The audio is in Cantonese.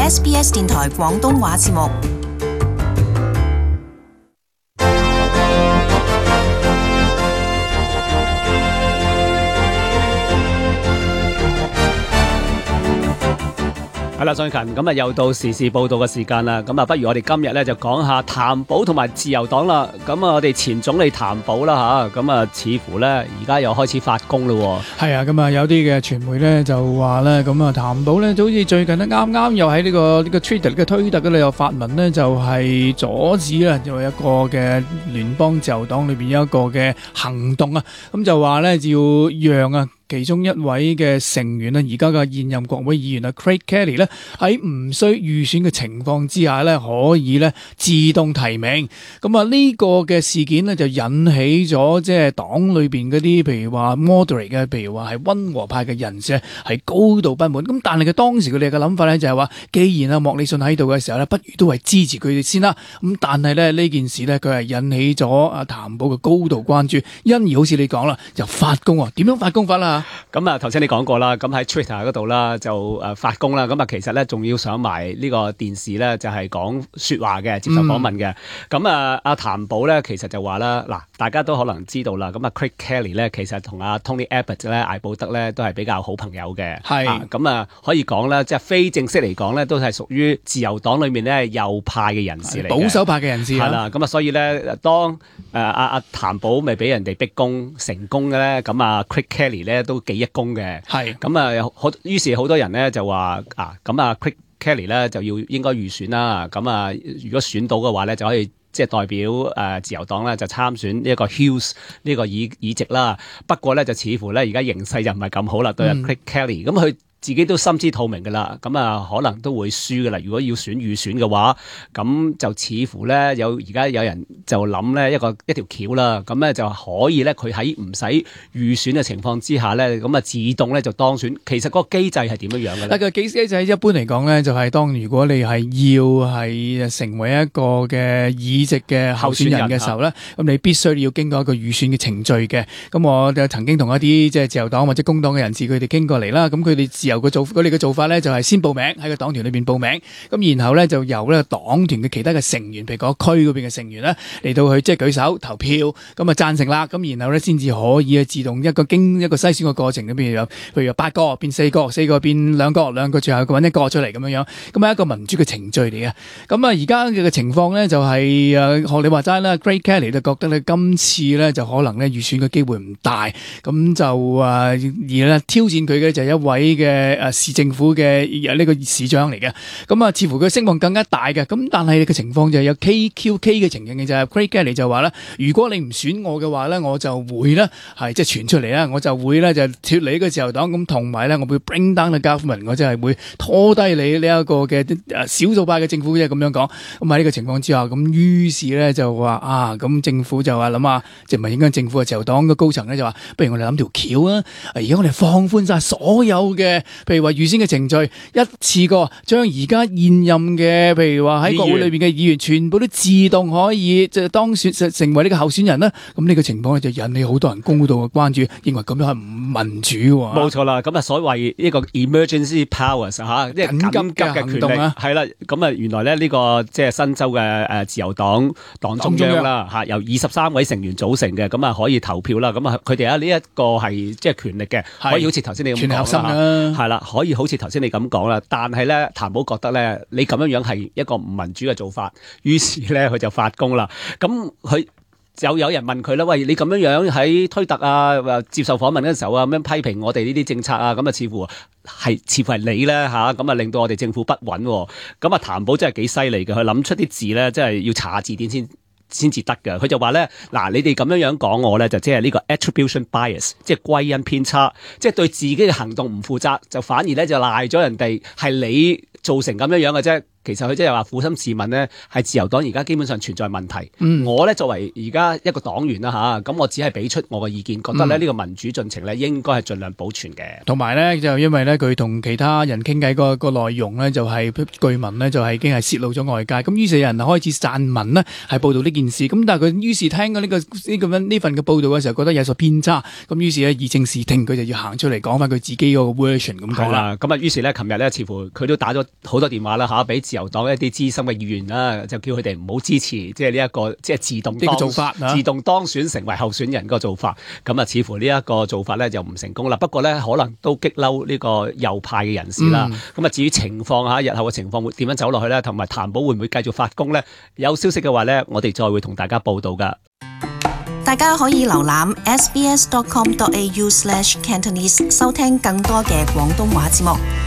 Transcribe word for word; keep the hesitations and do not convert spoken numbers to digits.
S B S 電台廣東話節目。係啦，宋勤，咁啊又到時事報道嘅時間啦。咁啊，不如我哋今日咧就講下譚寶同埋自由黨啦。咁啊，我哋前總理譚寶啦吓，咁啊似乎咧而家又開始發功咯。係啊，咁啊有啲嘅傳媒咧就話咧，咁啊譚寶咧就好似最近咧啱啱又喺呢個呢個 Twitter 嘅推特嗰度又發文咧，就係阻止啦，就一個嘅聯邦自由黨裏邊有一個嘅行動啊。咁就話咧要讓啊其中一位嘅成員啊，而家嘅現任國會議員啊 Craig Kelly 咧，喺唔需預選嘅情況之下咧，可以咧自動提名。咁啊呢個嘅事件咧就引起咗即係黨裏邊嗰啲，譬如話 moderate 嘅，譬如話係溫和派嘅人士係高度不滿。咁但係佢當時佢哋嘅諗法咧就係話，既然啊莫里遜喺度嘅時候咧，不如都係支持佢哋先啦。咁但係咧呢件事咧，佢係引起咗啊譚寶嘅高度關注，因而好似你講啦，就發功啊，點樣發功法啦？咁啊，頭先你講過啦，咁喺 Twitter 嗰度啦，就誒發功啦。咁啊，其實咧仲要上埋呢個電視咧，就係講說話嘅，接受訪問嘅。咁、嗯、啊，阿譚寶咧，其實就話啦，嗱，大家都可能知道啦。咁啊 Craig Kelly 咧，其實同阿 Tony Abbott 咧，艾布德咧，都係比較好朋友嘅。係咁啊，可以講咧，即係非正式嚟講咧，都係屬於自由黨裏面咧右派嘅人士嚟，保守派嘅人士係啦。咁啊，所以咧，當誒阿阿譚寶未俾人哋逼宮成功嘅咧，咁啊 Craig Kelly 咧都幾一功嘅，係咁啊，好，於是好多人咧就話啊，咁啊 Craig Kelly 咧就要應該預選啦，咁啊如果選到嘅話咧就可以即係代表誒、呃、自由黨咧就參選呢一個 Hills 呢個議議席啦。不過咧就似乎咧而家形勢就唔係咁好啦，對阿 Craig Kelly，咁佢自己都心知肚明㗎啦，咁啊可能都會輸㗎啦。如果要選預選嘅話，咁就似乎咧有而家有人就諗咧一個一條橋啦，咁咧就可以咧佢喺唔使預選嘅情況之下咧，咁啊自動咧就當選。其實嗰個機制係點樣樣嘅咧？個機制一般嚟講咧，就係當如果你係要係成為一個嘅議席嘅候選人嘅時候咧，咁你必須要經過一個預選嘅程序嘅。咁我就曾經同一啲即係自由黨或者工黨嘅人士佢哋傾過嚟啦，咁佢哋自由嘅做佢哋嘅做法咧，就係先報名喺個黨團裏邊報名，咁然後咧就由咧黨團嘅其他嘅成員，譬如嗰區嗰邊嘅成員咧嚟到去即係舉手投票，咁啊贊成啦，咁然後咧先至可以自動一個經一個篩選嘅過程裏邊有，譬如有八個變四個，四個變兩個，兩個最後揾一個出嚟咁樣樣，咁係一個民主嘅程序嚟嘅。咁啊而家嘅情況咧就係誒學你話齋啦 Craig Kelly 就覺得咧今次咧就可能咧預選嘅機會唔大，咁就誒而咧挑戰佢嘅就係一位嘅。誒、啊，市政府嘅呢個市長嚟嘅，咁啊，似乎佢聲望更加大嘅，咁但係嘅情況就係有 K Q K 嘅情形嘅就係 Craig Kelly 就話咧，如果你唔選我嘅話咧，我就會咧係即係傳出嚟啦，我就會咧就脫離呢個自由黨，咁同埋咧我會 bring down the government，我真係會拖低你呢一個嘅誒少數派嘅政府，即係咁樣講。咁喺呢個情況之下，咁於是咧就話啊，咁政府就話諗下，即係唔係應該政府嘅自由黨嘅高層咧就話，不如我哋諗條橋啊，而家我哋放寬晒所有嘅。譬如話預先嘅程序，一次過將而家現任嘅，譬如話喺國會裏邊嘅議員，全部都自動可以即係當選成為呢個候選人啦。咁呢個情況咧就引起好多人高度嘅關注，認為咁樣係唔民主喎。冇錯啦，咁啊所謂呢個 emergency powers 嚇，即係緊急嘅行動啊，係啦。咁啊原來咧呢個即係新州嘅誒自由黨黨中央啦嚇，由二十三位成員組成嘅，咁啊可以投票啦。咁啊佢哋啊呢一個係即係權力嘅，可以好似頭先你咁講啦，係啦，可以好似頭先你咁講啦。但係咧譚寶覺得咧你咁樣樣係一個唔民主嘅做法，於是咧佢就發功啦。咁佢就有人問佢啦，喂，你咁樣樣喺推特啊接受訪問嗰陣時候啊，咁樣批評我哋呢啲政策啊，咁啊似乎係似乎係你咧嚇，咁啊令到我哋政府不穩。咁啊譚寶真係幾犀利嘅，佢諗出啲字咧，真係要查字典先先至得㗎。佢就話咧，嗱，你哋咁樣樣講我咧，就即係呢個 attribution bias， 即係歸因偏差，即係對自己嘅行動唔負責，就反而咧就賴咗人哋係你造成咁樣樣嘅啫。其實佢即係話苦心自問呢，係自由黨而家基本上存在問題。嗯、我咧作為而家一個黨員啦嚇，咁我只係俾出我嘅意見，覺得咧呢個民主進程咧應該係盡量保存嘅。同埋咧就因為咧佢同其他人傾偈個個內容咧就係據聞咧就係已經係泄露咗外界，咁於是有人開始散文呢，係報導呢件事。咁但係佢於是聽咗呢個呢咁樣呢份嘅報導嘅時候，覺得有所偏差，咁於是咧以正視聽，佢就要行出嚟講翻佢自己嗰個 version 咁講啦。咁啊，於是咧，琴日咧，似乎佢都打咗好多電話啦嚇，俾自由黨一啲資深嘅議員啦，就叫佢哋唔好支持即係呢一個即係自動當做法、啊、自動當選成為候選人個做法。咁啊，似乎呢一個做法咧就唔成功啦。不過咧，可能都激嬲呢個右派嘅人士啦。咁啊、嗯，至於情況嚇，日後嘅情況會點樣走落去咧，同埋譚寶會唔會繼續發功咧？有消息嘅話咧，我哋再會同大家報道㗎。大家可以瀏覽 s b s dot com dot a u slash cantonese 收聽更多嘅廣東話節目。